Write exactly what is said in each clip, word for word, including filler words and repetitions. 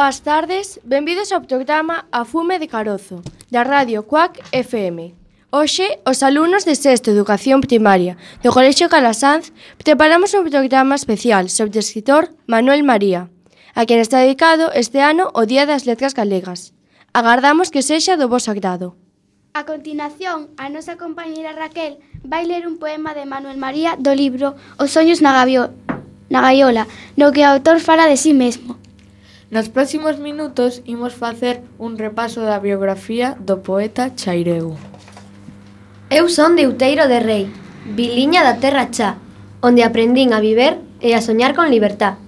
Boas tardes, benvidos ao programa A Fume de Carozo, da Radio Cuac F M. Hoxe, os alumnos de sexto Educación Primaria do Colexio Calasanz preparamos un programa especial sobre o escritor Manuel María, a quen está dedicado este ano o Día das Letras Galegas. Agardamos que sexa do voso agrado. A continuación, a nosa compañeira Raquel vai ler un poema de Manuel María do libro Os soños na, gavio, na gaiola, no que o autor fala de si mesmo. Nos próximos minutos imos facer un repaso da biografía do poeta Chaireu. Eu son de Outeiro de Rei, viliña da terra Chá, onde aprendín a viver e a soñar con libertad.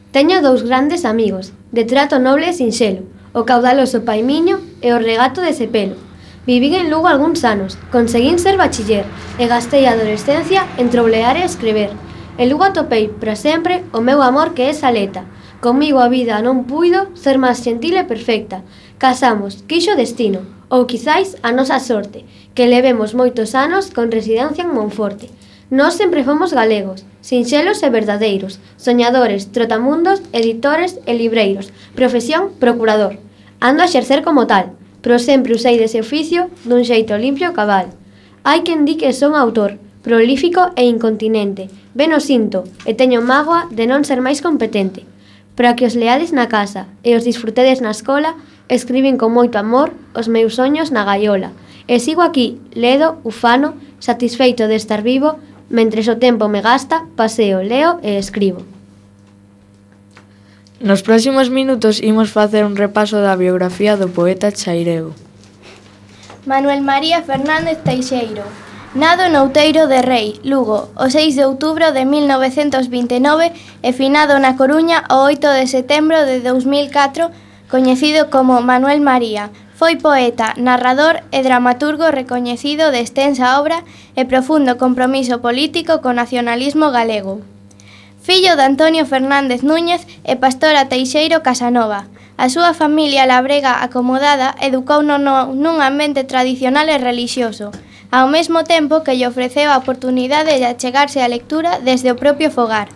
Teño dous grandes amigos, de trato noble e sinxelo, o caudaloso Paimiño e o regato de Sepelo. Vivín en Lugo algúns anos, conseguín ser bachiller e gastei a adolescencia en troulear e escrever. En Lugo atopei, para sempre, o meu amor que é Saleta. Comigo a vida non puido ser máis gentil e perfecta. Casamos, quixo destino, ou quizáis a nosa sorte, que levemos moitos anos con residencia en Monforte. Nós sempre fomos galegos, sinxelos e verdadeiros, soñadores, trotamundos, editores e libreiros, profesión procurador. Ando a exercer como tal, pero sempre usei dese oficio dun xeito limpio e cabal. Hai quen di que son autor, prolífico e incontinente. Ben o sinto, e teño mágoa de non ser máis competente. Para que os leades na casa e os disfrutedes na escola, escribín con moito amor os meus soños na gaiola. E sigo aquí, ledo, ufano, satisfeito de estar vivo, mentres o tempo me gasta, paseo, leo e escribo. Nos próximos minutos imos facer un repaso da biografía do poeta Chaireu. Manuel María Fernández Teixeiro. Nado no Outeiro de Rei, Lugo, o seis de outubro de mil novecentos vinte e nove e finado na Coruña o oito de setembro de dous mil catro, coñecido como Manuel María. Foi poeta, narrador e dramaturgo recoñecido de extensa obra e profundo compromiso político co nacionalismo galego. Fillo de Antonio Fernández Núñez e Pastora Teixeiro Casanova. A súa familia labrega acomodada educouno nun ambiente tradicional e relixioso, ao mesmo tempo que lle ofreceu a oportunidade de achegarse á lectura desde o propio fogar.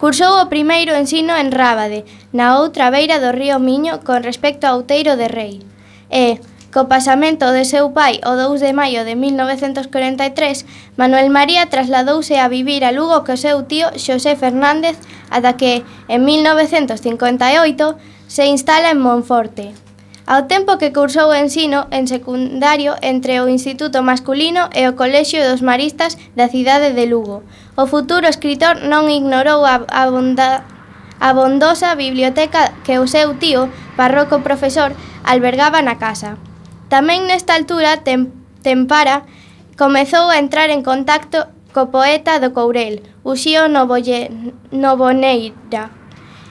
Cursou o primeiro ensino en Rábade, na outra beira do río Miño con respecto ao Outeiro de Rei. E, co pasamento de seu pai o dous de maio de mil novecentos corenta e tres, Manuel María trasladouse a vivir a Lugo co seu tío Xosé Fernández ata que, en mil novecentos cincuenta e oito, se instala en Monforte. Ao tempo que cursou o ensino en secundario entre o Instituto Masculino e o Colexio dos Maristas da cidade de Lugo, o futuro escritor non ignorou a, a, bonda, a bondosa biblioteca que o seu tío, parroco profesor, albergaba na casa. Tamén nesta altura, tem, Tempara comezou a entrar en contacto co poeta do Courel, Uxío Novolle, Novoneira.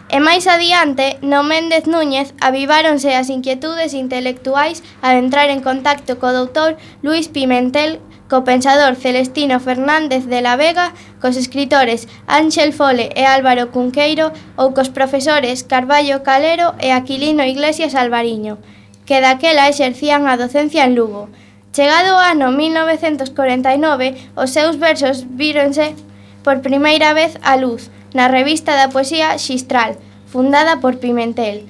E máis adiante, no Méndez Núñez, aviváronse as inquietudes intelectuais ao entrar en contacto co doutor Luís Pimentel, co pensador Celestino Fernández de la Vega, cos escritores Ángel Fole e Álvaro Cunqueiro ou cos profesores Carballo Calero e Aquilino Iglesias Alvariño, que daquela exercían a docencia en Lugo. Chegado o ano mil novecentos corenta e nove, os seus versos víronse por primeira vez á luz na revista da poesía Xistral, fundada por Pimentel.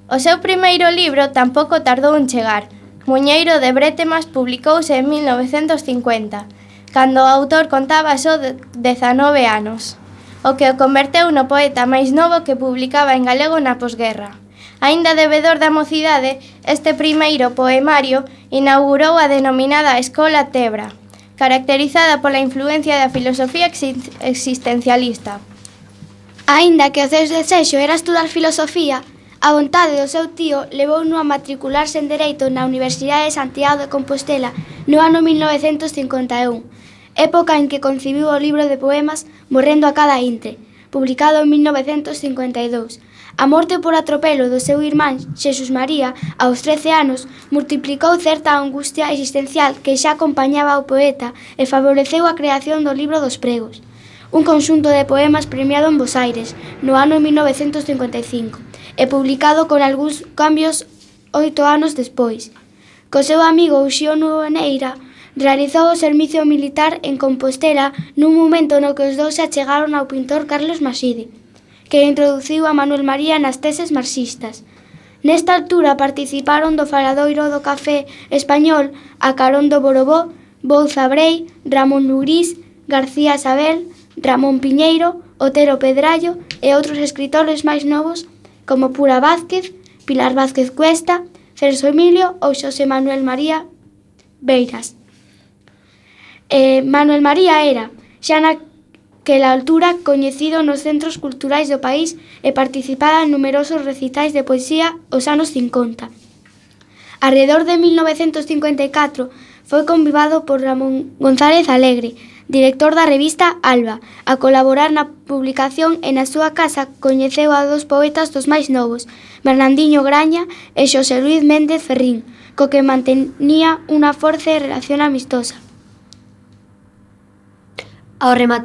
O seu primeiro libro tampouco tardou en chegar. Muñeiro de Brétemas publicouse en mil novecentos cincuenta, cando o autor contaba só dezanove anos, o que o converteu no poeta máis novo que publicaba en galego na posguerra. Aínda debedor da mocidade, este primeiro poemario inaugurou a denominada Escola Tebra, caracterizada pola influencia da filosofía existencialista. Aínda que o seu desexo era estudar filosofía, a vontade do seu tío levouno a matricularse en Dereito na Universidade de Santiago de Compostela no ano mil novecentos cincuenta e un, época en que concibiu o libro de poemas Morrendo a cada intre, publicado en mil novecentos cincuenta e dous. A morte por atropelo do seu irmán Xesús María, aos trece anos, multiplicou certa angustia existencial que xa acompañaba ao poeta e favoreceu a creación do libro dos pregos, un conxunto de poemas premiado en Bos Aires no ano mil novecentos cincuenta e cinco e publicado con algúns cambios oito anos despois. Co seu amigo Uxío Novoneira realizou o servicio militar en Compostela nun momento no que os dous se achegaron ao pintor Carlos Maside, que introduciu a Manuel María nas teses marxistas. Nesta altura participaron do faladoiro do café español a carón do Borobó, Bouza Brei, Ramón Lugrís, García Sabel, Ramón Piñeiro, Otero Pedrallo e outros escritores máis novos como Pura Vázquez, Pilar Vázquez Cuesta, Celso Emilio ou Xosé Manuel María Beiras. Eh, Manuel María era, xa naquela altura, coñecido nos centros culturais do país e participaba en numerosos recitais de poesía os anos cincuenta. Arredor de mil novecentos cincuenta e catro foi convidado por Ramón González Alegre, director da revista Alba, a colaborar na publicación e na súa casa coñeceu a dos poetas dos máis novos, Bernardinho Graña e Xosé Luis Méndez Ferrín, co que mantenía unha forte relación amistosa. Ao, remat...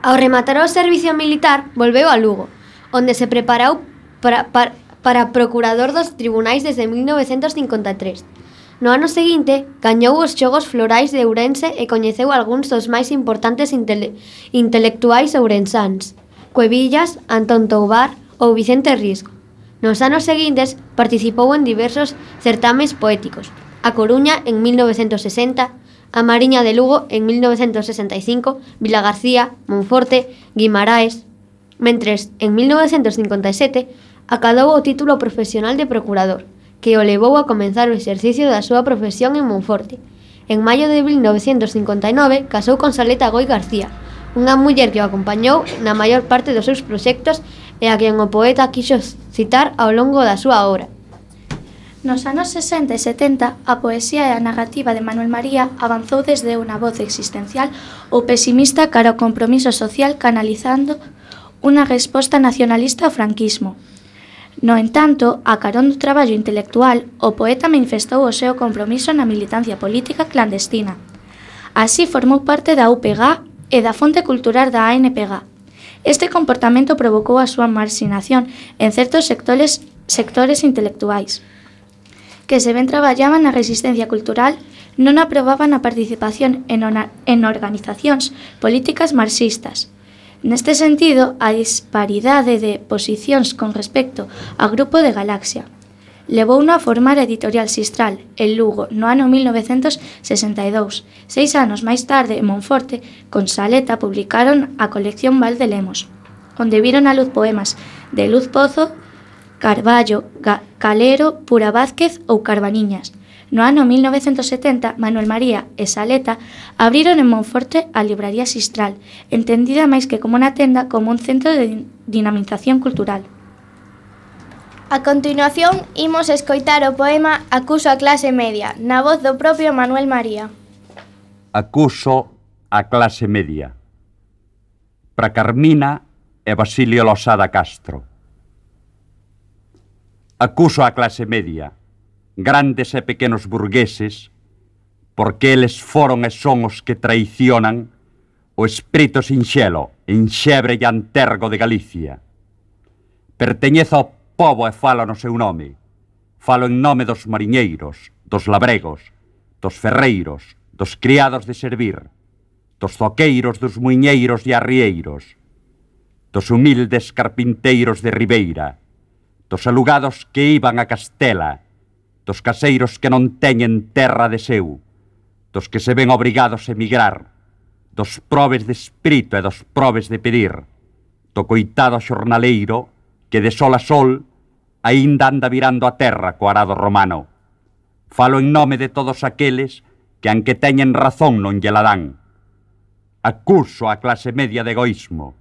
Ao rematar o servicio militar, volveu a Lugo, onde se preparou para, para, para procurador dos tribunais desde mil novecentos cincuenta e tres. No ano seguinte, gañou os Xogos Florais de Ourense e coñeceu algúns dos máis importantes intele intelectuais ourensáns, Cuevillas, Antón Toubar ou Vicente Risco. Nos anos seguintes participou en diversos certames poéticos, A Coruña en mil novecentos sesenta, A Mariña de Lugo en mil novecentos sesenta e cinco, Vilagarcía, Monforte, Guimaraes. Mentres, en mil novecentos cincuenta e sete, acadou o título profesional de procurador, que o levou a comenzar o exercicio da súa profesión en Monforte. En maio de mil novecentos cincuenta e nove casou con Saleta Goi García, unha muller que o acompañou na maior parte dos seus proxectos e a quen o poeta quixo citar ao longo da súa obra. Nos anos sesenta e setenta, a poesía e a narrativa de Manuel María avanzou desde unha voz existencial ou pesimista cara ao compromiso social canalizando unha resposta nacionalista ao franquismo. No entanto, a carón do traballo intelectual, o poeta manifestou o seu compromiso na militancia política clandestina. Así formou parte da U P G e da Fonte Cultural da A N P G. Este comportamento provocou a súa marxinación en certos sectores, sectores intelectuais, que se ben traballaban na resistencia cultural, non aprobaban a participación en, en organizacións políticas marxistas. Neste sentido, a disparidade de posicións con respecto ao grupo de Galaxia levouno a formar a editorial Sistral, en Lugo, no ano mil novecentos sesenta e dous. Seis anos máis tarde, en Monforte, con Saleta, publicaron a colección Val de Lemos, onde viron a luz poemas de Luz Pozo, Carballo, Ga Calero, Pura Vázquez ou Carbaniñas. No ano mil novecentos setenta, Manuel María e Saleta abriron en Monforte a libraría Sistral, entendida máis que como unha tenda como un centro de dinamización cultural. A continuación, imos escoitar o poema Acuso a clase media, na voz do propio Manuel María. Acuso a clase media. Para Carmina e Basilio Losada Castro. Acuso a clase media, grandes e pequenos burgueses, porque eles foron e son os que traicionan o espírito sinxelo, enxebre e antergo de Galicia. Perteñezo ao pobo e falo no seu nome. Falo en nome dos mariñeiros, dos labregos, dos ferreiros, dos criados de servir, dos zoqueiros, dos muiñeiros e arrieiros, dos humildes carpinteiros de Ribeira, dos alugados que iban a Castela, dos caseiros que non teñen terra de seu, dos que se ven obrigados a emigrar, dos probes de espírito e dos probes de pedir, do coitado xornaleiro que de sol a sol aínda anda virando a terra co arado romano. Falo en nome de todos aqueles que, aunque teñen razón, non lle la dan. Acuso a clase media de egoísmo,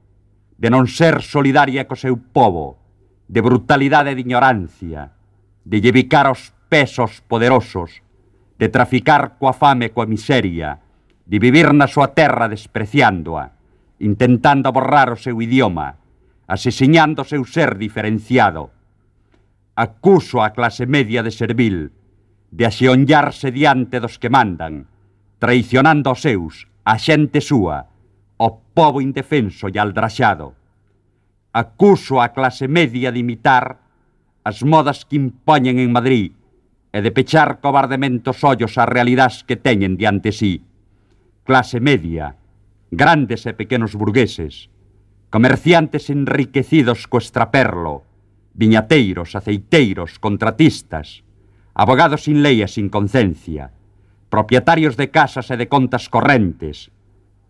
de non ser solidaria co seu pobo, de brutalidade e de ignorancia, de llevicar os pesos poderosos, de traficar coa fame e coa miseria, de vivir na súa terra despreciándoa, intentando borrar o seu idioma, asesiñando o seu ser diferenciado. Acuso a clase media de servil, de axeonllarse diante dos que mandan, traicionando os seus, a xente súa, o pobo indefenso e aldraxado. Acuso a clase media de imitar as modas que impoñen en Madrid e de pechar cobardemente os ollos ás realidades que teñen diante sí. Clase media, grandes e pequenos burgueses, comerciantes enriquecidos co extraperlo, viñateiros, aceiteiros, contratistas, abogados sin lei e sin concencia, propietarios de casas e de contas correntes,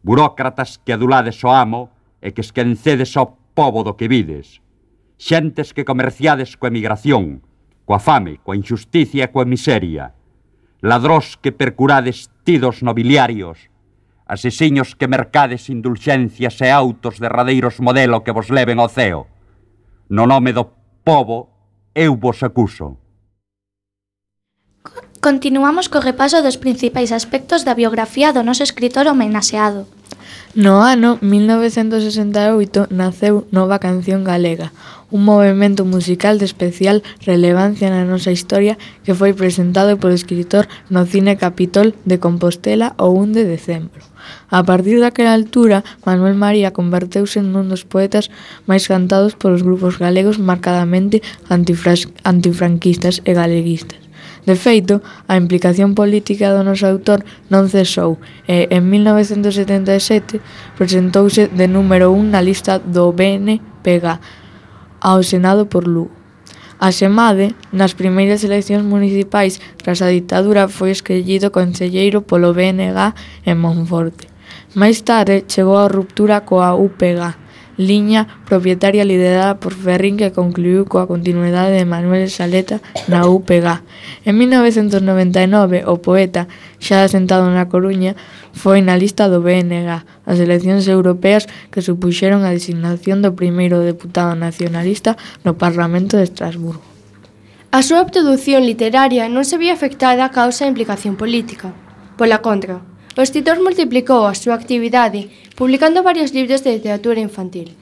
burócratas que adulades o amo e que esquencedes ao pobo do que vides, xentes que comerciades coa emigración, coa fame, coa injusticia e coa miseria, ladrós que percurades tidos nobiliarios, asesiños que mercades indulgencias e autos derradeiros modelo que vos leven ao ceo. No nome do pobo, eu vos acuso. Continuamos co repaso dos principais aspectos da biografía do noso escritor homenaxeado. No ano mil novecentos sesenta e oito naceu Nova Canción Galega, un movemento musical de especial relevancia na nosa historia que foi presentado polo escritor no Cine Capitol de Compostela o un de decembro. A partir daquela altura, Manuel María converteuse nun dos poetas máis cantados polos grupos galegos marcadamente antifranquistas e galeguistas. De feito, a implicación política do noso autor non cesou e, en mil novecentos setenta e sete, presentouse de número un na lista do B N P G ao Senado por Lugo. Asemade, nas primeiras eleccións municipais tras a ditadura foi escollido concelleiro polo B N G en Monforte. Máis tarde chegou a ruptura coa U P G, liña propietaria liderada por Ferrín que concluiu coa continuidade de Manuel Saleta na U P G. En mil novecentos noventa e nove, o poeta, xa asentado na Coruña, foi na lista do B N G, as eleccións europeas que supuxeron a designación do primeiro deputado nacionalista no Parlamento de Estrasburgo. A súa produción literaria non se vía afectada a causa da implicación política. Pola contra, o escritor multiplicou a súa actividade publicando varios libros de literatura infantil.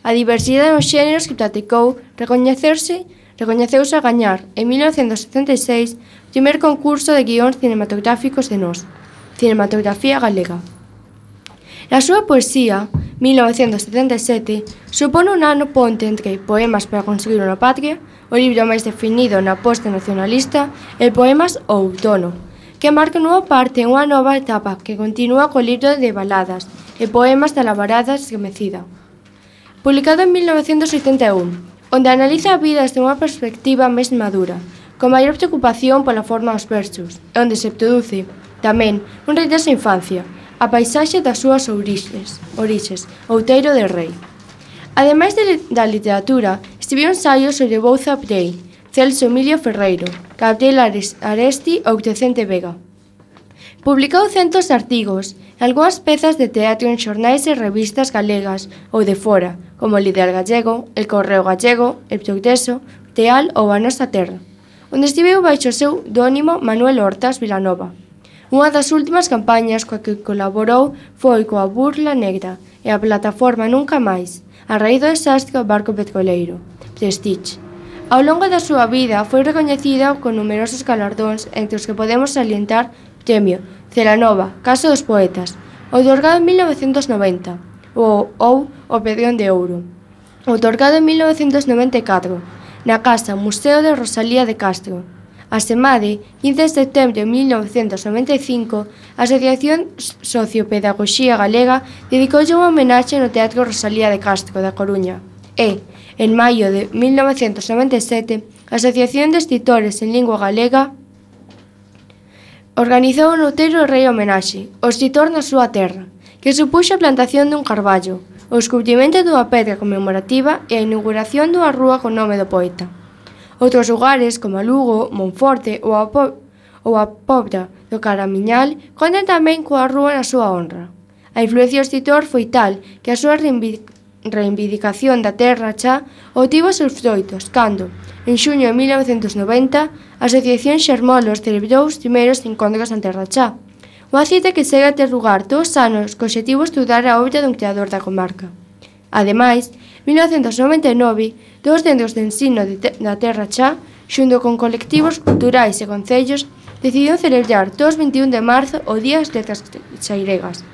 A diversidade dos xéneros que practicou recoñecerse, recoñeceuse a gañar, en mil novecentos setenta e seis, o primeiro concurso de guións cinematográficos de Nós, Cinematografía Galega. Na súa poesía, mil novecentos setenta e sete, supón un ano ponte entre Poemas para conseguir unha patria, o libro máis definido na posta nacionalista, e Poemas ao outono, que marca nova parte unha nova etapa que continúa co libro de baladas e poemas da labarada esquecida. Publicado en mil novecentos oitenta e un, onde analiza a vida desde unha perspectiva máis madura, con maior preocupación pola forma dos versos, e onde se produce, tamén, un regreso á infancia, a paisaxe das súas orixes, orixes, Outeiro de Rei. Ademais de, da literatura, escribiu ensaios sobre Bouza Prei, Celso Emilio Ferreiro, Gabriel Aresti ou Crecente Vega. Publicou centos de artigos e algunhas pezas de teatro en xornais e revistas galegas ou de fora, como o Líder Gallego, El Correo Gallego, El Progreso, Teal ou A Nosa Terra, onde estiveu baixo o seu pseudónimo Manuel Hortas Vilanova. Unha das últimas campañas coa que colaborou foi coa Burla Negra e a plataforma Nunca Máis, a raíz do desastre ao barco petroleiro, Prestige. Ao longo da súa vida foi recoñecida con numerosos galardóns entre os que podemos salientar Premio Celanova, Casa dos Poetas, outorgado en mil novecentos noventa, ou, ou o Pedrón de Ouro, outorgado en mil novecentos noventa e catro, na Casa Museo de Rosalía de Castro. Asemade, quince de setembro de mil novecentos noventa e cinco, a Asociación Sociopedagogía Galega dedicoulle unha homenaxe no Teatro Rosalía de Castro, da Coruña. E, en maio de mil novecentos noventa e sete, a Asociación de Escritores en Lingua Galega organizou un Outeiro de Rei homenaxe, o escritor na súa terra, que supuxo a plantación dun carballo, o descubrimento dunha pedra conmemorativa e a inauguración dunha rúa con nome do poeta. Outros lugares, como Lugo, Monforte ou a, po ou a Pobra do Caramiñal, contan tamén coa rúa na súa honra. A influencia do escritor foi tal que a súa reivindicación reivindicación da terra xa obtivo seus froitos cando, en xuño de mil novecentos noventa, a Asociación Xermolos celebrou os primeiros encontros en terra xa, unha cita que segue a ter lugar todos os anos co obxectivo estudar a obra dun creador da comarca. Ademais, en mil novecentos noventa e nove, dous centros de ensino de te da terra xa, xunto con colectivos culturais e concellos, decidiron celebrar todos os veintiún de marzo o Día das Letras Xairegas,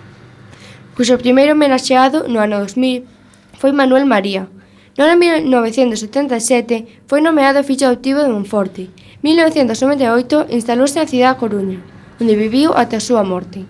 cuxo primeiro homenaxeado no ano dos mil foi Manuel María. No ano mil novecentos setenta e sete foi nomeado fillo adoptivo de Monforte. En mil novecentos noventa e oito instalouse na cidade da Coruña, onde viviu ata a súa morte.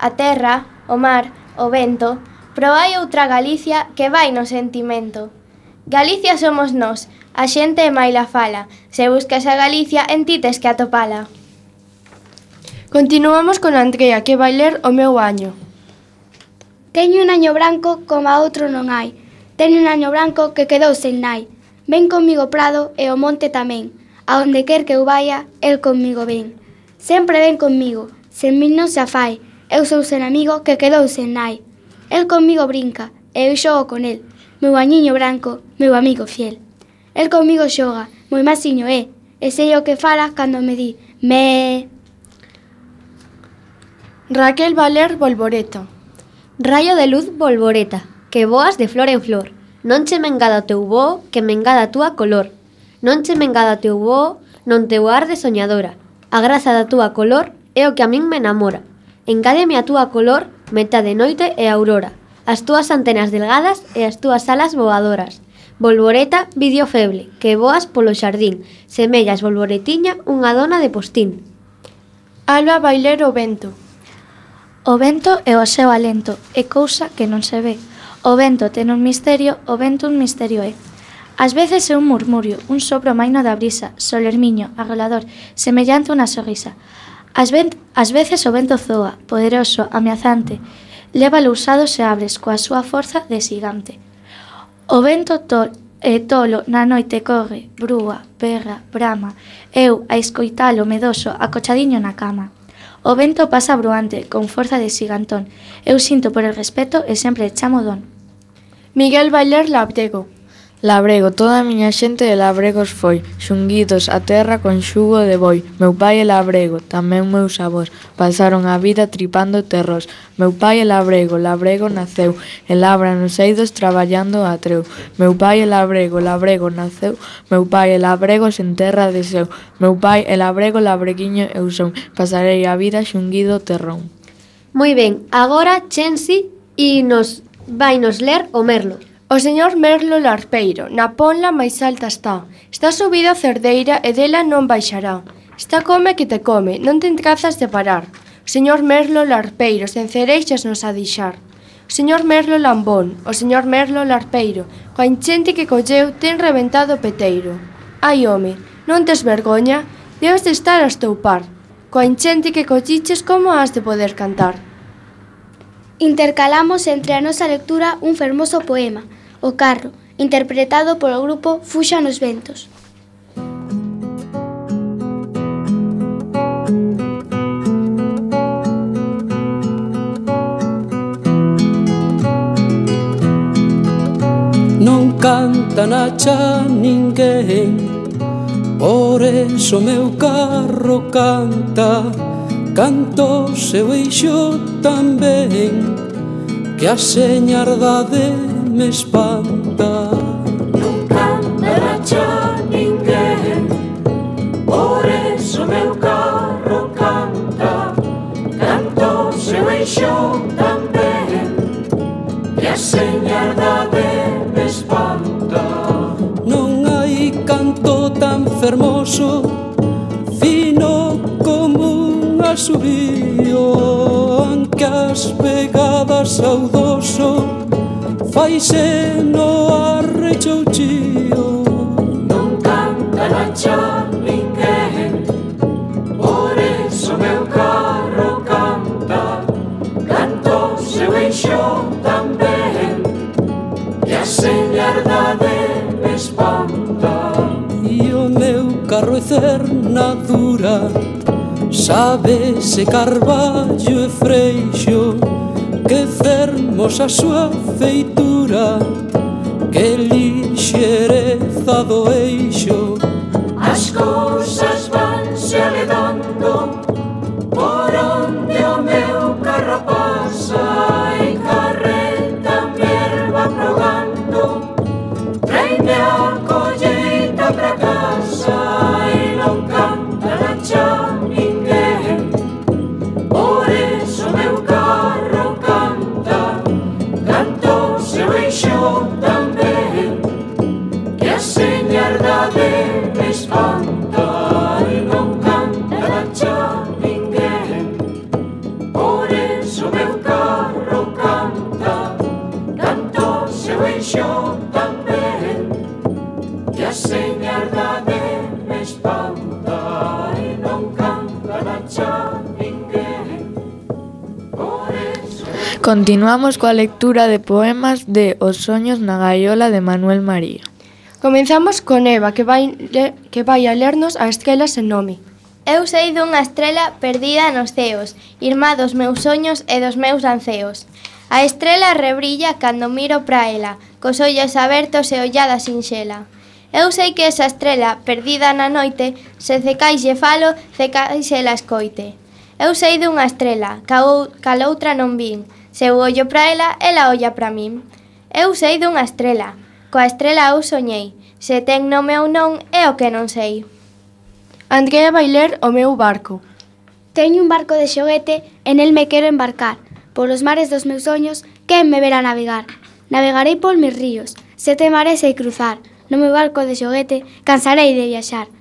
a terra, o mar, o vento, pero hai outra Galicia que vai no sentimento. Galicia somos nós, a xente e maila fala. Se buscas a Galicia, en ti tes que atopala. Continuamos con Andrea, que vai ler o meu año. Teño un año branco como a outro non hai. Teño un año branco que quedou sen nai. Ven comigo prado e o monte tamén. A onde quer que eu vaya, el comigo ven. Sempre ven comigo, sen min non se afai. Eu sou sen amigo que quedou sen nai. El comigo brinca, e eu xogo con el. Meu añiño branco, meu amigo fiel. El comigo xoga, moi masiño é, e sei o que fala cando me di me. Raquel vai ler Bolboreta. Raio de luz bolboreta, que voas de flor en flor. Non che mengada o teu voo, que mengada a túa color. Non che mengada o teu voo, non teu ar de soñadora. A graza da túa color é o que a min me enamora. Engádeme a túa color, metade noite e aurora. As túas antenas delgadas e as túas alas voadoras. Bolboreta, vidio feble, que voas polo xardín. Semellas bolboretiña unha dona de postín. Alba vai ler O vento. O vento é o seu alento, é cousa que non se ve. O vento ten un misterio, o vento un misterio é. Ás veces é un murmurio, un sopro maino da brisa, solermiño, arrolador, semellante unha sorrisa. Ás, ven, ás veces o vento zoa, poderoso, ameazante, leva lousados e abres coa súa forza de xigante. O vento tol, e tolo na noite corre, brúa, berra, brama, eu a escoitalo medoso, acochadiño na cama. O vento pasa bruante, con forza de xigantón. Eu sinto por el respeto e sempre chamo don. Miguel vai ler Labrego. Labrego, toda a miña xente de labregos foi, xunguidos a terra con xugo de boi. Meu pai é labrego, tamén meus avós, pasaron a vida tripando terros. Meu pai é labrego, labrego naceu, e labra nos eidos traballando a treu. Meu pai é labrego, labrego naceu, meu pai é labrego sen terra de seu. Meu pai é labrego, labreguiño eu son, pasarei a vida xunguido terrón. Moi ben, agora Chensi e nos vai nos ler o Merlo. O señor Merlo Larpeiro, na ponla máis alta está. Está subido a cerdeira e dela non baixará. Está come que te come, non te trazas de parar. O señor Merlo Larpeiro, sen cereixas nos a deixar. O señor Merlo Lambón, o señor Merlo Larpeiro, coa enchente que colleu ten reventado o peteiro. Ai, home, non tes vergoña? Debes de estar a estoupar. Coa enchente que colliches, como has de poder cantar? Intercalamos entre a nosa lectura un fermoso poema, O carro, interpretado polo grupo Fuxa nos ventos. Non canta na cha ninguén, por eso meu carro canta. Canto seu eixo tamén, que a señardade me espanta. Non canta na cha ninguén, por eso meu carro canta. Canto seu eixo tamén, que a señardade me espanta. Non hai canto tan fermoso, fino como un asubío, anque as pegadas saudoso faise no arrechouchío. Non canta na cha ninguén, por eso meu carro canta. Canto seu eixo tamén, que a señardade me espanta. E o meu carro é cernadura, sabe se carballo e freixo, que fermosa súa feitura, que lixereza do eixo. As cousas vanse aledando por onde o meu carro pasa, e carreta mi erva progando, traime a colleita pra casa. E non canta na cha ninguén, por eso meu carro canta. Canto seu eixo tamén, que a señardade me espanta. Continuamos coa lectura de poemas de Os soños na gaiola de Manuel María. Comenzamos con Eva, que vai, le, que vai a lernos a estrela sen nome. Eu sei dunha estrela perdida nos ceos, irmá dos meus soños e dos meus anceos. A estrela rebrilla cando miro pra ela, cos ollos abertos e ollada sinxela. Eu sei que esa estrela perdida na noite, se cecais lle falo, cecais ela escoite. Eu sei dunha estrela, cal outra non vin, se eu ollo pra ela, ela olla pra min. Eu sei dunha estrela, coa estrela eu soñei, se ten nome ou non é o que non sei. Andrea vai ler O meu barco. Teño un barco de xoguete e nel me quero embarcar. Polos mares dos meus soños, quen me verá navegar? Navegarei por mis ríos, sete mares hei cruzar. No meu barco de xoguete, cansarei de viaxar.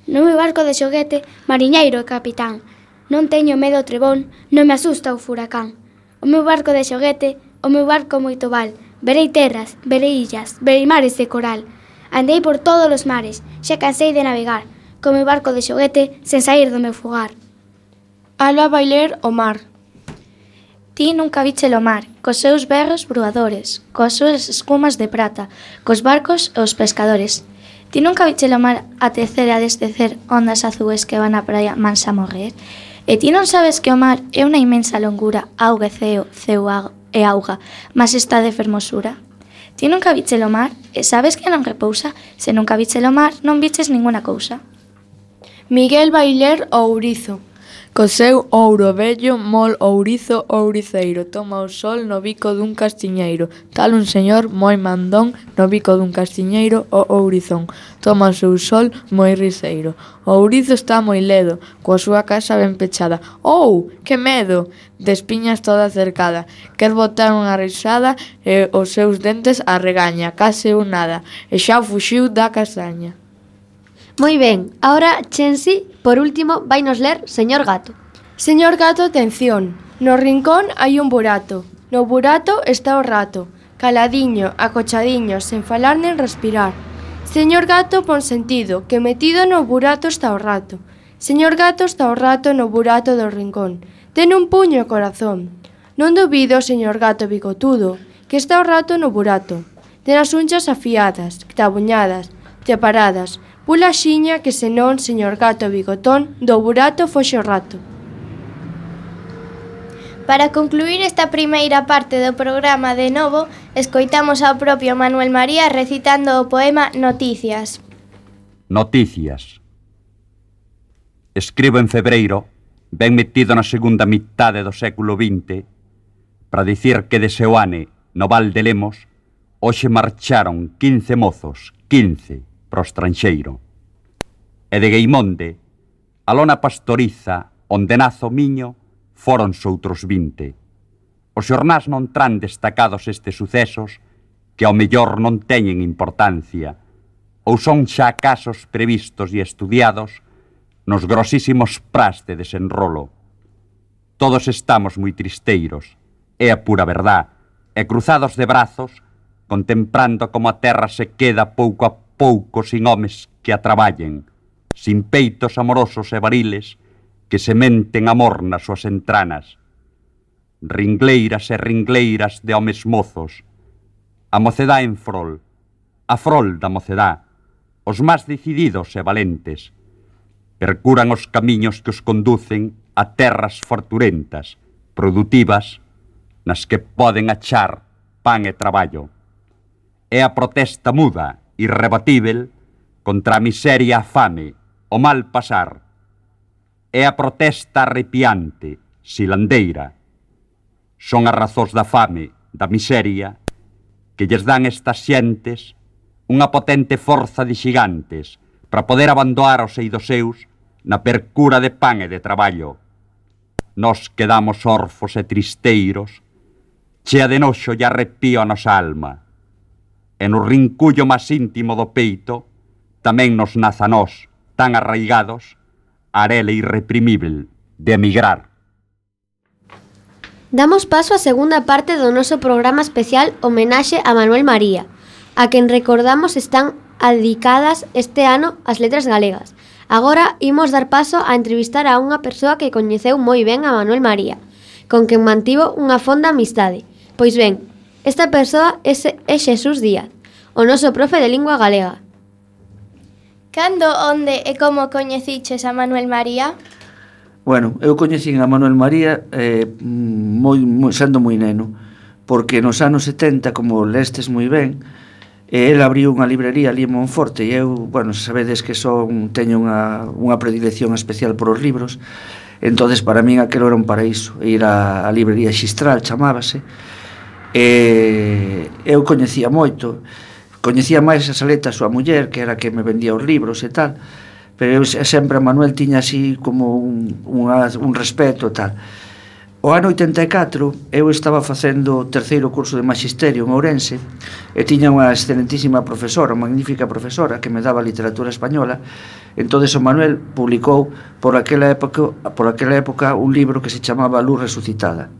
No meu barco de xoguete, mariñeiro e capitán. Non teño medo ao trebón, non me asusta o furacán. O meu barco de xoguete, o meu barco moito val. Verei terras, verei illas, verei mares de coral. Andei por todos os mares, xa cansei de navegar. Co meu barco de xoguete, sen sair do meu fogar. Alba vai ler O mar. Ti nunca viche o mar, cos seus berros bruadores, coas súas escumas de prata, cos barcos e os pescadores. Ti nunca viche o mar atecer e a descecer ondas azues que van á praia mansa a morrer. E ti non sabes que o mar é unha inmensa longura, auga e ceo, ceo e auga, mas está de fermosura. Ti nunca viche o mar, e sabes que non repousa, se nunca viche o mar non viches ninguna cousa. Miguel vai ler O ourizo. Co seu ouro vello, mol ourizo ouriceiro, toma o sol no bico dun castiñeiro. Tal un señor moi mandón, no bico dun castiñeiro o ourizón. Toma o seu sol moi riseiro. O ourizo está moi ledo, coa súa casa ben pechada. Oh, que medo! De espiñas toda cercada. Quer botar unha risada e os seus dentes a regaña, case un nada, e xa fuxiu da castaña. Moi ben, ahora Chensi, por último, vai nos ler Señor Gato. Señor Gato, atención. No rincón hai un burato. No burato está o rato, caladiño, acochadiño, sen falar nen respirar. Señor Gato, pon sentido, que metido no burato está o rato. Señor Gato, está o rato no burato do rincón. Ten un puño o corazón. Non dubido, señor Gato bigotudo, que está o rato no burato. Ten as unchas afiadas, tabuñadas, separadas. Pula xiña que senón, señor Gato bigotón, do burato foxe o rato. Para concluir esta primeira parte do programa de novo, escoitamos ao propio Manuel María recitando o poema Noticias. Noticias. Escribo en febreiro, ben metido na segunda mitade do século vinte, para dicir que de Seoane, no Val de Lemos, hoxe marcharon quince mozos, quince, pro estranxeiro. E de Gueimonde, a lona pastoriza, onde nazo miño, foron outros vinte. Os xornás non tran destacados estes sucesos que ao mellor non teñen importancia, ou son xa casos previstos e estudiados nos grosísimos pras de desenrolo. Todos estamos moi tristeiros, é a pura verdad, e cruzados de brazos, contemplando como a terra se queda pouco a pouco sin homes que a traballen, sin peitos amorosos e variles que sementen amor nas súas entranas. Ringleiras e ringleiras de homes mozos, a mocedá en frol, a frol da mocedá, os máis decididos e valentes, percuran os camiños que os conducen a terras forturentas, produtivas, nas que poden achar pan e traballo. É a protesta muda, irrebatível, contra a miseria, a fame, o mal pasar. É a protesta arrepiante, silandeira. Son as razóns da fame, da miseria, que lles dan estas xentes unha potente forza de xigantes para poder abandonar os eidos seus na percura de pan e de traballo. Nos quedamos orfos e tristeiros, chea de noxo e arrepío a nosa alma. E no rincullo máis íntimo do peito tamén nos naza nós, tan arraigados, a arela irreprimível de emigrar. Damos paso á segunda parte do noso programa especial Homenaxe a Manuel María, a quen recordamos están dedicadas este ano as letras galegas. Agora imos dar paso a entrevistar a unha persoa que coñeceu moi ben a Manuel María, con quen mantivo unha fonda amistade. Pois ben, esta persoa é, é Xesús Díaz, o noso profe de lingua galega. Cando, onde e como coñeciches a Manuel María? Bueno, eu coñecín a Manuel María eh, moi, moi, sendo moi neno, porque nos anos setenta, como lestes moi ben, eh, el abriu unha librería ali en Monforte, e eu, bueno, sabedes que son, teño unha, unha predilección especial por os libros, entonces para min aquilo era un paraíso, ir á, á librería Xistral, chamábase, e eu coñecía moito, coñecía máis a Saleta, a súa muller, que era que me vendía os libros e tal, pero eu sempre a Manuel tiña así como un, unha, un respeto e tal. O ano oitenta e catro eu estaba facendo o terceiro curso de Magisterio en Ourense e tiña unha excelentísima profesora, unha magnífica profesora que me daba literatura española. Entonces o Manuel publicou por aquela época, por aquela época un libro que se chamaba Luz Resucitada.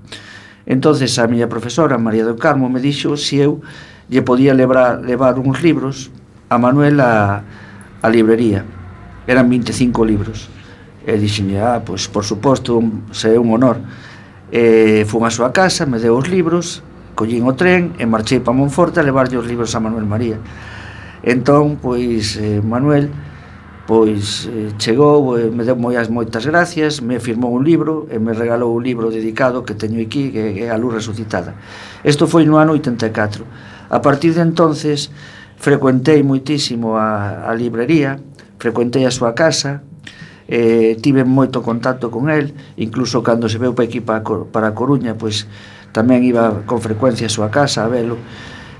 Entonces a miña profesora, María do Carmo, me dixo se eu lle podía levar, levar uns libros a Manuel a, a librería. Eran vinte e cinco libros. E dixenlle, ah, pois por suposto, se é un honor. E fun a súa casa, me deu os libros, collín o tren e marchei para Monforte a levarlle os libros a Manuel María. Entón, pois, eh, Manuel pois eh, chegou, eh, me deu moitas moitas gracias, me firmou un libro e me regalou un libro dedicado que teño aquí, que é A Luz Resucitada. Isto foi no ano oitenta e catro. A partir de entonces frecuentei moitísimo a, a librería, frecuentei a súa casa, eh, tive moito contacto con el, incluso cando se veu para aquí para, para a Coruña, pois tamén iba con frecuencia a súa casa a velo.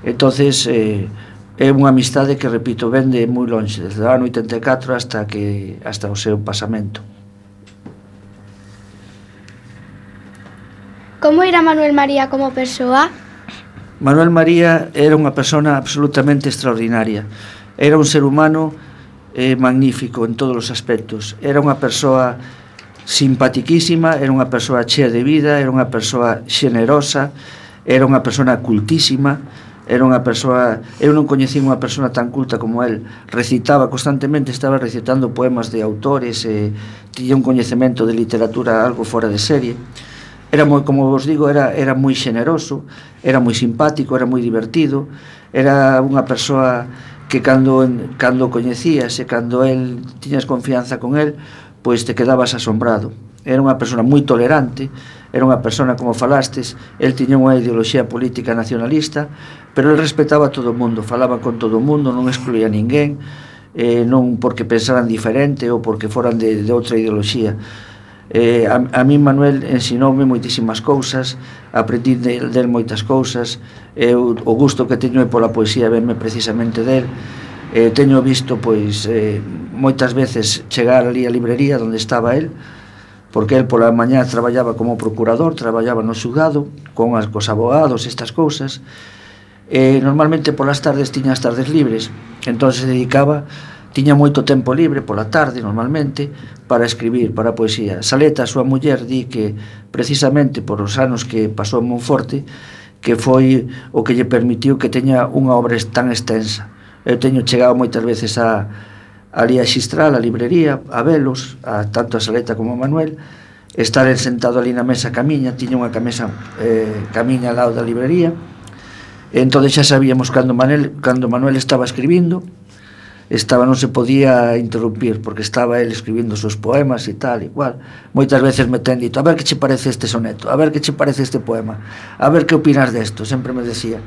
Entonces eh, é unha amistade que, repito, vende moi longe, desde o ano oitenta e catro hasta, que, hasta o seu pasamento. Como era Manuel María como persoa? Manuel María era unha persona absolutamente extraordinaria. Era un ser humano eh, magnífico en todos os aspectos. Era unha persoa simpatiquísima, era unha persoa chea de vida, era unha persoa xenerosa, era unha persona cultísima, era unha persoa... Eu non coñecín unha persona tan culta como el. Recitaba constantemente, estaba recitando poemas de autores, e tiña un coñecemento de literatura algo fora de serie. Era moi, como vos digo, era, era moi xeneroso, era moi simpático, era moi divertido, era unha persoa que cando, cando coñecías e cando el tiñas confianza con el, pois te quedabas asombrado. Era unha persona moi tolerante, era unha persona, como falastes, el tiña unha ideoloxía política nacionalista, pero el respetaba a todo o mundo, falaba con todo o mundo, non excluía a ninguén, eh, non porque pensaran diferente ou porque foran de, de outra ideoloxía. Eh, a, a mí Manuel ensinoume moitísimas cousas, aprendí del de moitas cousas. Eu, o gusto que teño é pola poesía, venme precisamente del. eh, teño visto pois eh, moitas veces chegar ali a librería onde estaba el, porque el pola mañá traballaba como procurador, traballaba no xulgado con as, cos abogados, estas cousas, e normalmente polas tardes tiña as tardes libres, entón se dedicaba, tiña moito tempo libre pola tarde normalmente para escribir, para a poesía. Saleta, a súa muller, di que precisamente por os anos que pasou en Monforte, que foi o que lle permitiu que teña unha obra tan extensa. Eu teño chegado moitas veces a ali a Xistral, a librería, a velos, a, tanto a Saleta como a Manuel, estar sentado ali na mesa camiña, tiña unha camisa eh, camiña ao lado da librería, e entón xa sabíamos cando Manuel, cando Manuel estaba escribindo, estaba, non se podía interrumpir, porque estaba el escribindo os seus poemas e tal, igual. Moitas veces me ten dito, a ver que che parece este soneto, a ver que che parece este poema, a ver que opinas desto, sempre me decía.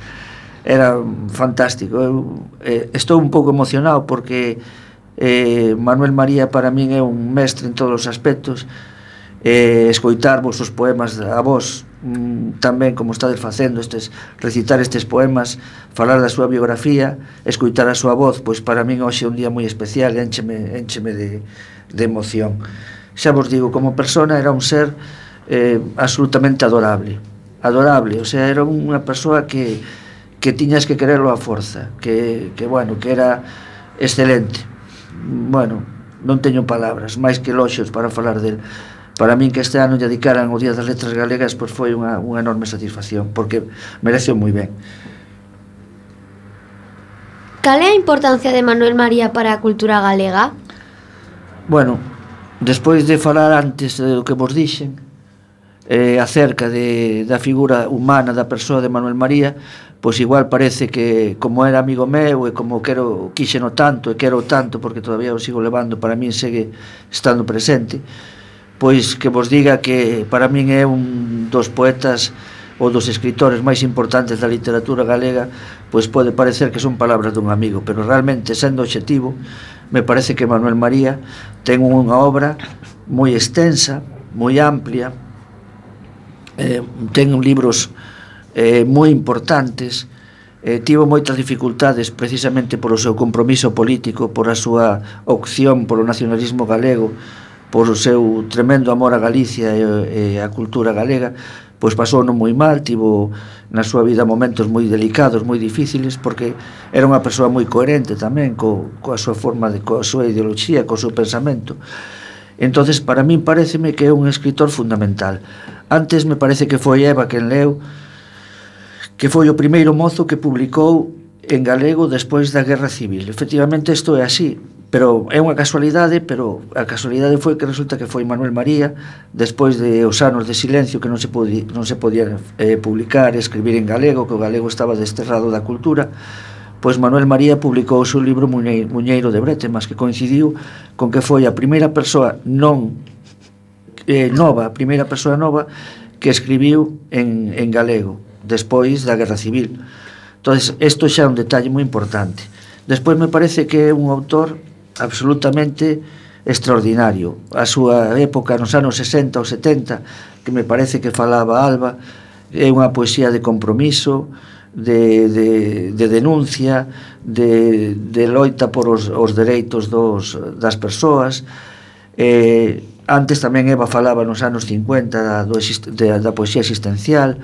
Era fantástico. Eu eh, estou un pouco emocionado porque eh, Manuel María para min é un mestre en todos os aspectos. Eh, escoitar vos os poemas a vos, mm, tamén como estades facendo estes, recitar estes poemas, falar da súa biografía, escoitar a súa voz, pois para min hoxe é un día moi especial, éncheme, éncheme de, de emoción. Xa vos digo, como persona era un ser eh, absolutamente adorable, adorable, o sea, era unha persoa que, que tiñas que quererlo a forza, que, que bueno, que era excelente. Bueno, non teño palabras, máis que eloxios para falar del. Para min que este ano lle dedicaran o Día das Letras Galegas, pois foi unha, unha enorme satisfacción, porque mereceu moi ben. Cal é a importancia de Manuel María para a cultura galega? Bueno, despois de falar antes do que vos dixen, eh, acerca de, da figura humana da persoa de Manuel María, pois igual parece que como era amigo meu e como quero quixeno tanto e quero tanto porque todavía o sigo levando, para min segue estando presente, pois que vos diga que para min é un dos poetas ou dos escritores máis importantes da literatura galega, pois pode parecer que son palabras dun amigo, pero realmente, sendo obxectivo, me parece que Manuel María ten unha obra moi extensa, moi amplia, eh, ten libros eh, moi importantes, eh, tivo moitas dificultades precisamente polo seu compromiso político, por a súa opción polo nacionalismo galego, por o seu tremendo amor a Galicia e, e a cultura galega, pois pasou non moi mal, tivo na súa vida momentos moi delicados, moi difíciles, porque era unha persoa moi coherente tamén co, coa súa forma, de, coa súa ideoloxía, co seu pensamento. Entonces, para min pareceme que é un escritor fundamental. Antes me parece que foi Eva quen leu, que foi o primeiro mozo que publicou en galego despois da Guerra Civil. Efectivamente, isto é así, pero é unha casualidade, pero a casualidade foi que resulta que foi Manuel María, despois de os anos de silencio que non se podía, non se podía eh, publicar e escribir en galego, que o galego estaba desterrado da cultura, pois Manuel María publicou o seu libro Muñeiro de Bretemas, que coincidiu con que foi a primeira persoa non eh, nova, a primeira persoa nova que escribiu en, en galego, despois da Guerra Civil. Entón, isto xa é un detalle moi importante. Despois me parece que é un autor absolutamente extraordinario. A súa época nos anos sesenta ou setenta, que me parece que falaba Alba, é unha poesía de compromiso, de, de, de denuncia, de, de loita por os, os dereitos dos, das persoas. Eh, antes tamén Eva falaba nos anos cincuenta da, do, de, da poesía existencial.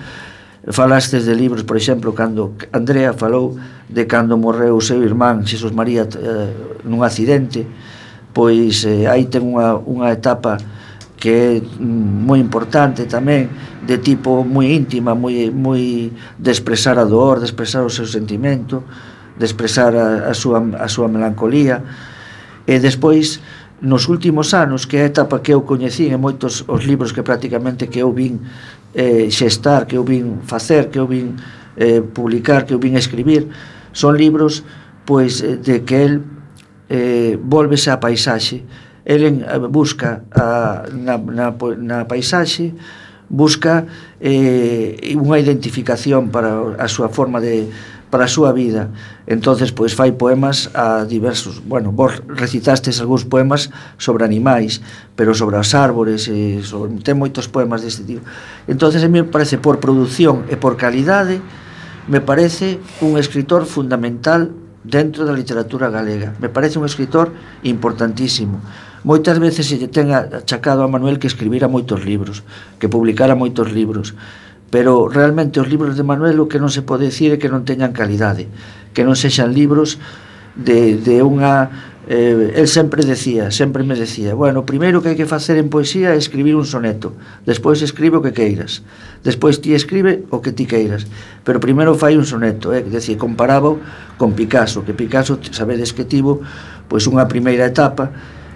Falastes de libros, por exemplo, cando Andrea falou de cando morreu o seu irmán Xesús María eh, nun accidente, pois eh, aí ten unha, unha etapa que é moi importante tamén, de tipo moi íntima, moi, moi de expresar a dor, de expresar o seu sentimento, de expresar a, a, súa, a súa melancolía. E despois, nos últimos anos, que é a etapa que eu coñecín en moitos os libros que prácticamente que eu vin eh, xestar, que eu vin facer, que eu vin eh, publicar, que eu vin escribir, son libros pois de que el eh, volvese á paisaxe. El en, busca a, na, na, na paisaxe, busca eh, unha identificación para a súa forma de, para a súa vida. Entonces, pois fai poemas a diversos, bueno, vos recitastes algúns poemas sobre animais, pero sobre as árbores, e sobre, ten moitos poemas deste tipo. Entonces, a mí me parece, por produción e por calidade, me parece un escritor fundamental dentro da literatura galega. Me parece un escritor importantísimo. Moitas veces se lle ten achacado a Manuel que escribira moitos libros, que publicara moitos libros, pero realmente os libros de Manuel o que non se pode dicir é que non teñan calidade, que non sexan libros de, de unha... Eh, el sempre decía, sempre me decía, bueno, o primeiro que hai que facer en poesía é escribir un soneto, despois escribe o que queiras, despois ti escribe o que ti queiras, pero primeiro fai un soneto, eh? Decía, comparaba con Picasso, que Picasso, sabedes que tivo pois unha primeira etapa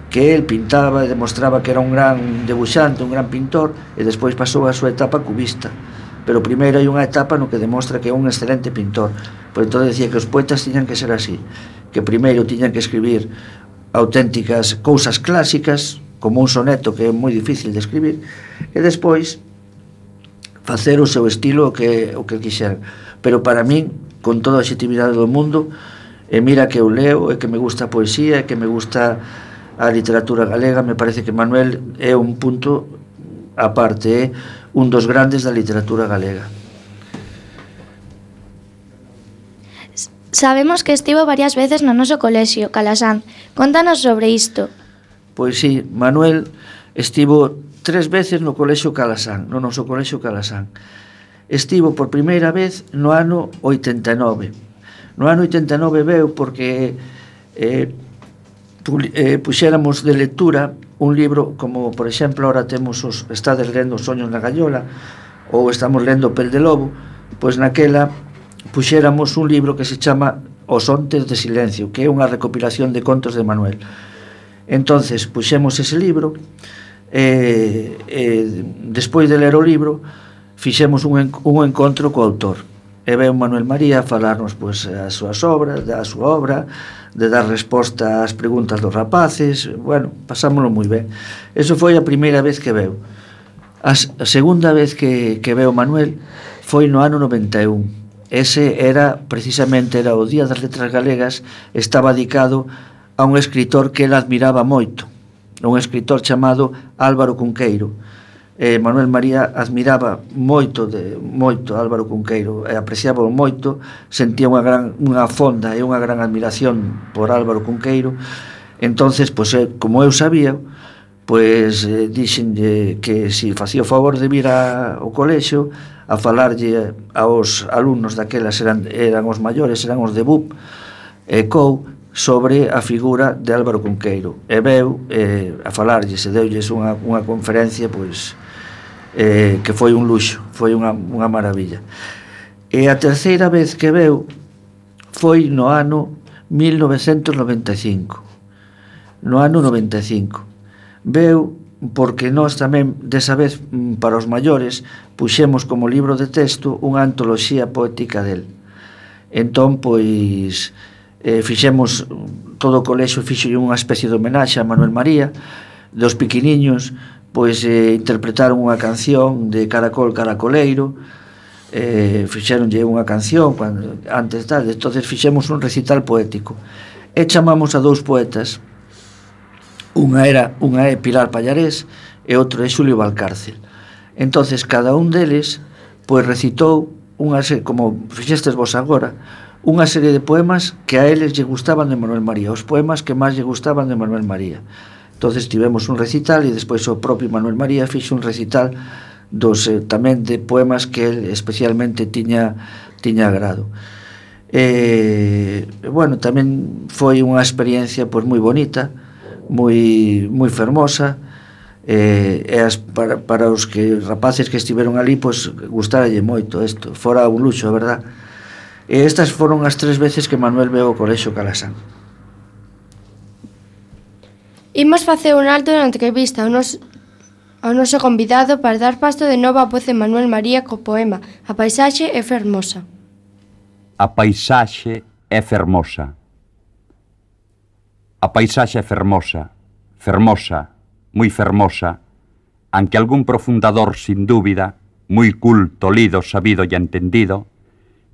que el pintaba e demostraba que era un gran debuxante, un gran pintor, e despois pasou a súa etapa cubista. Pero primeiro hai unha etapa no que demostra que é un excelente pintor. Por entón decía que os poetas tiñan que ser así, que primeiro tiñan que escribir auténticas cousas clásicas, como un soneto que é moi difícil de escribir, e despois facer o seu estilo o que, o que quixeran. Pero para min, con toda a objetividade do mundo, e mira que eu leo, e que me gusta a poesía, e que me gusta a literatura galega, me parece que Manuel é un punto aparte, é un dos grandes da literatura galega. Sabemos que estivo varias veces no noso colexio, Calasanz. Contanos sobre isto. Pois sí, Manuel estivo tres veces no colexio Calasanz, no noso colexio Calasanz. Estivo por primeira vez no ano oitenta e nove. No ano oitenta e nove veu porque eh, eh, puxéramos de lectura un libro, como por exemplo ahora temos os, estades lendo Os soños na gallola, ou estamos lendo Pel de lobo, pois naquela puxéramos un libro que se chama Os ontes de silencio, que é unha recopilación de contos de Manuel. Entonces puxemos ese libro e, e despois de ler o libro fixemos un, en, un encontro co autor e veu Manuel María a falarnos pois, as súas obras, da súa obra, de dar resposta ás preguntas dos rapaces. Bueno, pasámoslo moi ben. Eso foi a primeira vez que veu. A, a segunda vez que, que veu Manuel foi no ano noventa e un. Ese era, precisamente, era o Día das Letras Galegas, estaba dedicado a un escritor que ele admiraba moito, un escritor chamado Álvaro Cunqueiro. Eh, Manuel María admiraba moito de moito Álvaro Cunqueiro e apreciaba moito, sentía unha gran unha fonda e unha gran admiración por Álvaro Cunqueiro. Entonces, pois, eh, como eu sabía, pois eh, dixenlle que si facía o favor de vir a, ao colexio a falarlle aos alumnos daquelas, eran, eran os maiores, eran os de B U P e C O U, sobre a figura de Álvaro Cunqueiro. E veu eh, a falarlle, se deulles unha, unha conferencia pois eh, que foi un luxo, foi unha, unha maravilla. E a terceira vez que veu foi no ano mil novecentos noventa e cinco. No ano noventa e cinco. Veu porque nós tamén, desa vez, para os maiores, puxemos como libro de texto unha antoloxía poética del. Entón, pois, eh, fixemos, todo o colexio fixo unha especie de homenaxe a Manuel María. Dos pequeniños, pois, eh, interpretaron unha canción de Caracol Caracoleiro, eh, fixeronlle unha canción cando, antes tal, entonces fixemos un recital poético. E chamamos a dous poetas. Unha era unha é Pilar Pallarés e outro é Xulio Valcárcel. Entonces cada un deles pois recitou unha serie, como fixestes vos agora, unha serie de poemas que a eles lle gustaban de Manuel María, os poemas que máis lle gustaban de Manuel María. Entonces tivemos un recital e despois o propio Manuel María fixo un recital dos eh, tamén de poemas que el especialmente tiña tiña agrado. E bueno, tamén foi unha experiencia pois moi bonita, moi moi fermosa, eh, e as, para, para os que rapaces que estiveron ali pois gustáralle moito isto, fora un luxo, a verdad. E estas foron as tres veces que Manuel veu ao colexio Calasán. Imos facer un alto na entrevista ao noso, ao noso convidado para dar pasto de novo a voz de Manuel María co poema A paisaxe é fermosa. A paisaxe é fermosa. A paisaxe é fermosa, fermosa, moi fermosa, aunque algún profundador, sin dúbida, moi culto, lido, sabido e entendido,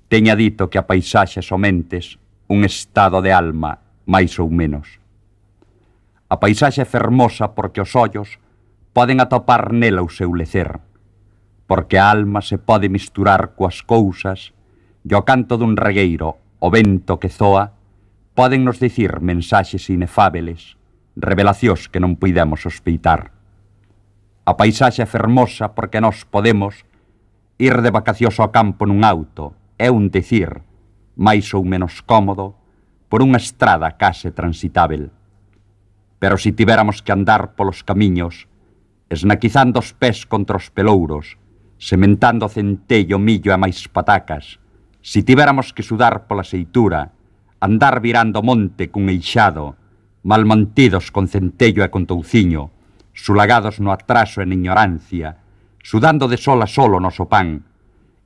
teña dito que a paisaxe somentes un estado de alma, máis ou menos. A paisaxe é fermosa porque os ollos poden atopar nela o seu lecer, porque a alma se pode misturar coas cousas e o canto dun regueiro, o vento que zoa, poden nos dicir mensaxes inefábeles, revelacións que non puidemos sospeitar. A paisaxe é fermosa porque nós podemos ir de vacacións ao campo nun auto, é un dicir, máis ou menos cómodo, por unha estrada case transitável. Pero si tivéramos que andar polos camiños, esnaquizando os pés contra os pelouros, sementando centello, millo e máis patacas, si tivéramos que sudar pola seitura, andar virando monte cun eixado, mal mantidos con centello e con touciño, sulagados no atraso e na ignorancia, sudando de sol a sol o noso pan,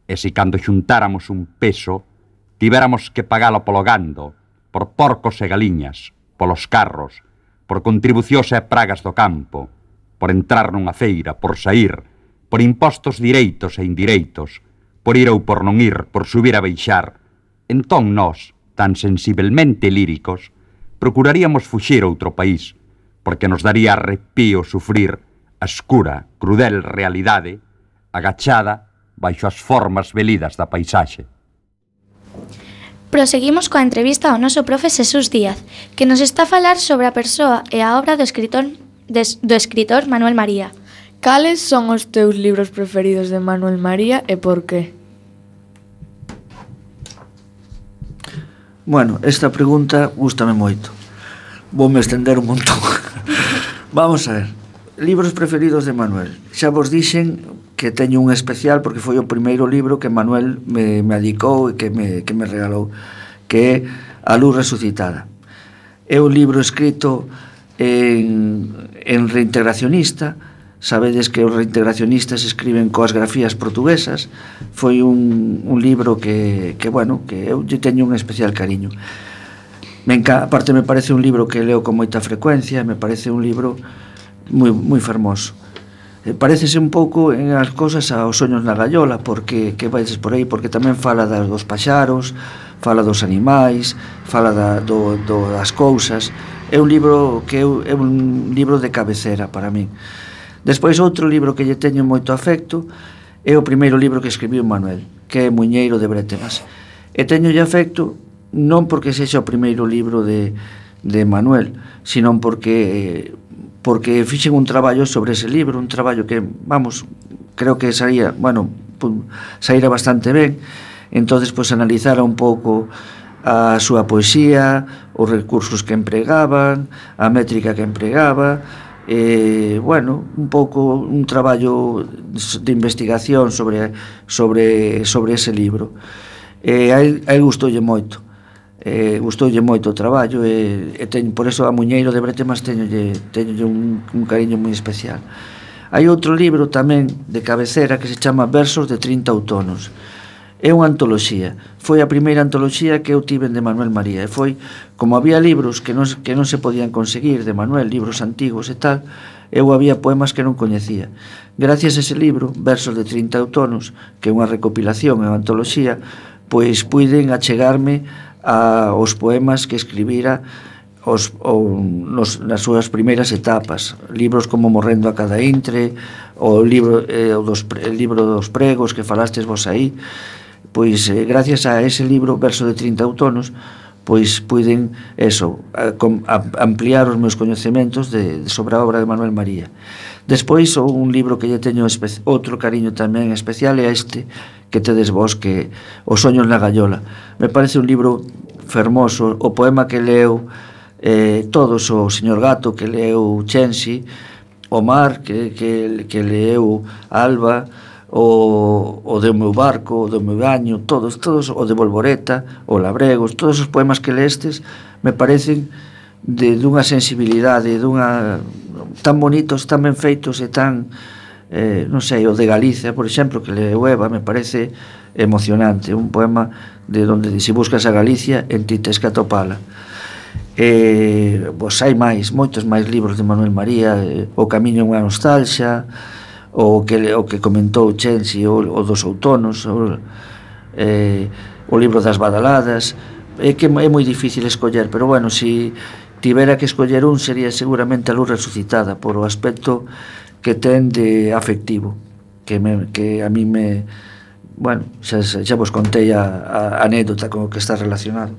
e se cando xuntáramos un peso, tivéramos que pagalo polo gando, por porcos e galiñas, polos carros, por contribucións e pragas do campo, por entrar nunha feira, por saír, por impostos direitos e indireitos, por ir ou por non ir, por subir a baixar, entón nós, tan sensibelmente líricos, procuraríamos fuxir a outro país, porque nos daría arrepío sufrir a escura, crudel realidade, agachada baixo as formas velidas da paisaxe. Proseguimos coa entrevista ao noso profe Xesús Díaz, que nos está a falar sobre a persoa e a obra do escritor, des, do escritor Manuel María. Cales son os teus libros preferidos de Manuel María e por qué? Bueno, esta pregunta gústame moito. Voume estender un montón. Vamos a ver. Libros preferidos de Manuel. Xa vos dixen que teño un especial porque foi o primeiro libro que Manuel me, me adicou e que me, que me regalou, que é A luz resucitada. É un libro escrito en, en reintegracionista, Sabedes que os reintegracionistas escriben coas grafías portuguesas. Foi un, un libro que, que, bueno, que eu lle teño un especial cariño. Me enca... Aparte me parece un libro que leo con moita frecuencia, me parece un libro moi, moi fermoso. Eh, parecese un pouco en as cousas aos Soños na gaiola, porque que vais por aí, porque tamén fala das, dos paxaros, fala dos animais, fala da, do, do, das cousas. É un libro que eu, é un libro de cabecera para min. Despois outro libro que lle teño moito afecto é o primeiro libro que escribiu Manuel, que é Muiñeiro de Brétemas. E teñolle afecto non porque sexa o primeiro libro de, de Manuel, sino porque porque fixen un traballo sobre ese libro, un traballo que, vamos, creo que saía, bueno, saíra bastante ben. Entonces, pois, analizara un pouco a súa poesía, os recursos que empregaban, a métrica que empregaba, eh, bueno, un pouco un traballo de investigación sobre sobre sobre ese libro. Eh, a él, a él gustoulle moito. Eh, gustoulle moito o traballo e, e teño, por eso a Muiñeiro de Brétemas teñolle, teñolle un, un cariño moi especial. Hai outro libro tamén de cabecera que se chama Versos de trinta outonos. É unha antoloxía. Foi a primeira antoloxía que eu tiven de Manuel María. E foi, como había libros que non, que non se podían conseguir de Manuel, libros antigos e tal, eu había poemas que non coñecía. Gracias a ese libro, Versos de trinta outonos, que é unha recopilación, é unha antoloxía, pois puiden achegarme a, aos poemas que escribira os, o, nos, nas súas primeiras etapas. Libros como Morrendo a cada intre, o libro, eh, o dos, el libro dos pregos que falastes vos aí. Pois eh, gracias a ese libro, Verso de trinta outonos, pois puiden eso, a, a, ampliar os meus coñecementos de, de sobre a obra de Manuel María. Despois, un libro que lle teño espe- outro cariño tamén especial é este que tedes vos, que Os Soños na gaiola. Me parece un libro fermoso. O poema que leu eh, todos, o Señor Gato que leu Chensi, o Mar que, que, que leu Alba, o, o do meu barco, o do meu baño, todos, todos, o de Volvoreta, o Labregos, todos os poemas que lestes me parecen de dunha sensibilidade, dunha tan bonitos, tan ben feitos e tan, eh, non sei, o de Galicia, por exemplo, que leu Eva, me parece emocionante, un poema de donde si buscas a Galicia, en ti tes que atopala. Eh, pois hai máis, moitos máis libros de Manuel María, eh, O camiño é unha nostalxa, o que, o que comentou Chensi, o, o dos outonos, o, eh, o libro das badaladas. É que é moi difícil escoller, pero bueno, si tivera que escoller un, sería seguramente A luz resucitada, por o aspecto que ten de afectivo, que, me, que a mí me, bueno, xa, xa vos contei a, a anécdota con o que está relacionado.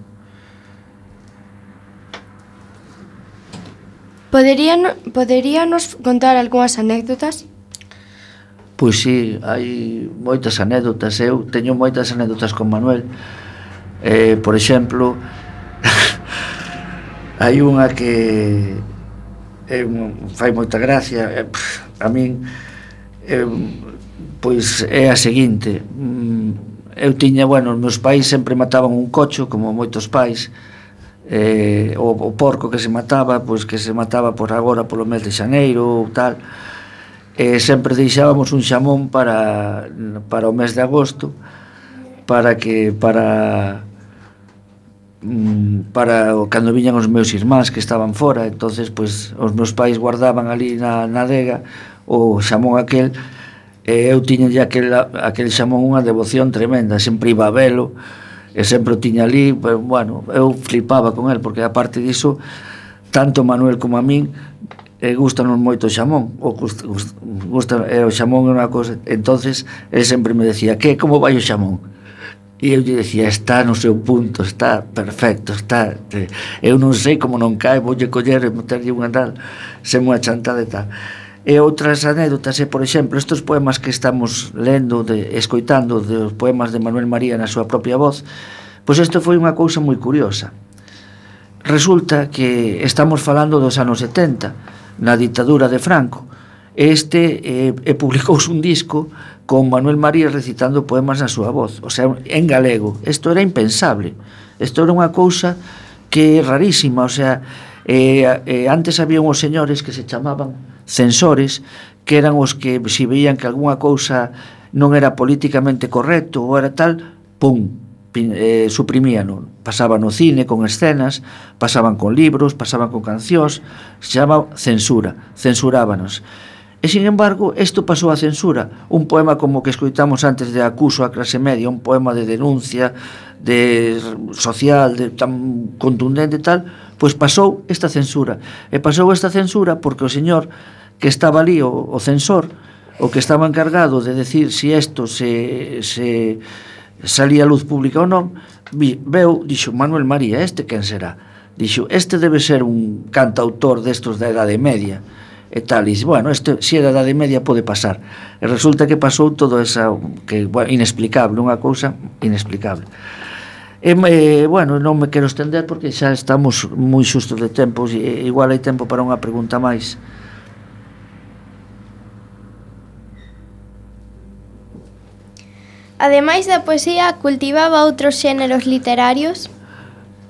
Poderían, poderíanos contar algunhas anécdotas? Pois sí, hai moitas anécdotas. Eu teño moitas anécdotas con Manuel. Eh, por exemplo, hai unha que eh, fai moita gracia. Eh, a min, eh, pois é a seguinte. Eu tiña, bueno, os meus pais sempre mataban un cocho, como moitos pais. Eh, o, o porco que se mataba, pois que se mataba por agora polo mes de xaneiro ou tal. E sempre deixábamos un xamón para, para o mes de agosto, para que para para cando viñan os meus irmáns que estaban fora. Entonces, pois, os meus pais guardaban ali na, na adega o xamón aquel, e eu tiña ya aquel, aquel xamón unha devoción tremenda, sempre iba a velo e sempre o tiña ali. Pero, bueno, eu flipaba con el, porque aparte diso, tanto Manuel como a min e gustanos moito o xamón, o gusta, gusta, e o xamón é unha cosa. Entonces ele sempre me decía: "Que, como vai o xamón?" E eu lle decía: "Está no seu punto, está perfecto, está, eu non sei como non cae, voulle coller e meterlle unha tal, sen unha chantada e tal." E outras anécdotas é, por exemplo, estes poemas que estamos lendo, de, escoitando, dos poemas de Manuel María na súa propia voz. Pois isto foi unha cousa moi curiosa. Resulta que estamos falando dos anos setenta, na ditadura de Franco. Este eh, e publicouse un disco con Manuel María recitando poemas na súa voz, o sea, en galego. Isto era impensable, isto era unha cousa que é rarísima. O sea, eh, eh, antes había uns señores que se chamaban censores, que eran os que se veían que algunha cousa non era políticamente correcto ou era tal, pum, eh, suprimían, pasaban no cine con escenas, pasaban con libros, pasaban con cancións, se chama censura, censurábanos. E, sin embargo, isto pasou a censura. Un poema como que escoitamos antes de Acuso a clase media, un poema de denuncia, de social, de tan contundente tal, pois pasou esta censura. E pasou esta censura porque o señor que estaba ali, o, o censor, o que estaba encargado de decir se isto se, se salía a luz pública ou non, vi, veu, dixo, Manuel María, este quen será? Dixo, este debe ser un cantautor destos da Edade Media, e tal, e bueno, este, se é da Edade Media pode pasar, e resulta que pasou todo esa, que, bueno, inexplicable, unha cousa inexplicable. E, e, bueno, non me quero estender porque xa estamos moi xustos de tempo, e igual hai tempo para unha pregunta máis. Ademais da poesía, cultivaba outros xéneros literarios?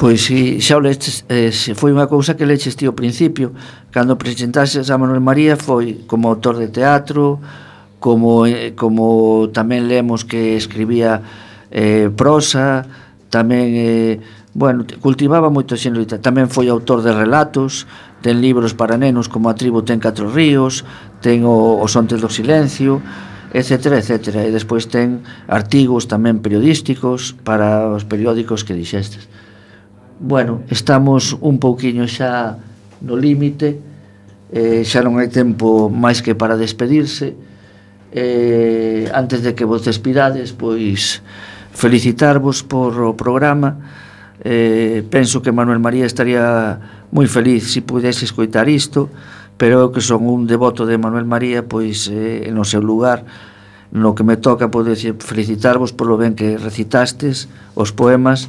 Pois si, xa o leches, eh, foi unha cousa que leches ti ao principio, cando presentases a Manuel María foi como autor de teatro, como, eh, como tamén lemos que escribía eh, prosa, tamén, eh, bueno, cultivaba moito xénero literario, tamén foi autor de relatos, ten libros para nenos como A tribo ten catro ríos, ten o, Os ontes do silencio, etcétera, etcétera, e despois ten artigos tamén periodísticos para os periódicos que dixestes. Bueno, estamos un pouquiño xa no límite, eh, xa non hai tempo máis que para despedirse. Eh, antes de que vos despidades, pois felicitarvos por o programa. Eh, penso que Manuel María estaría moi feliz se pudese escoitar isto, pero eu que son un devoto de Manuel María, pois eh, no seu lugar, no que me toca, poder felicitarvos polo ben que recitastes os poemas,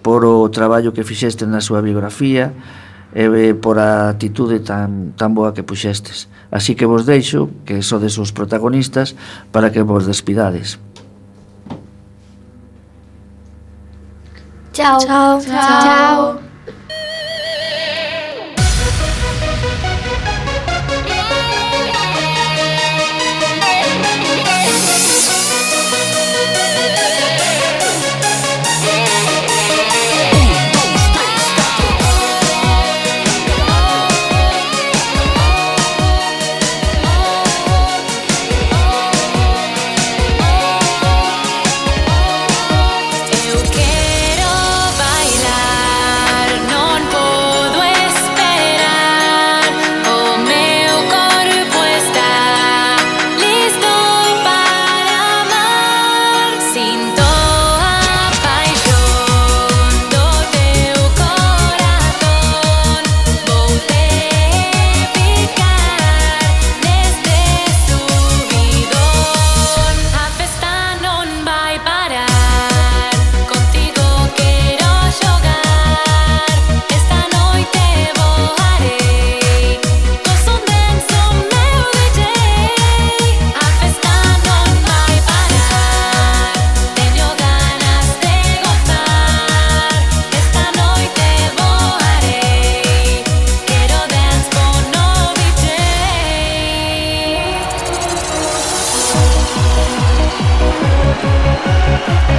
por o traballo que fixestes na súa biografía e por a atitude tan, tan boa que puxestes. Así que vos deixo, que sodes os protagonistas, para que vos despidades. Chao. Chao. Chao. Chao.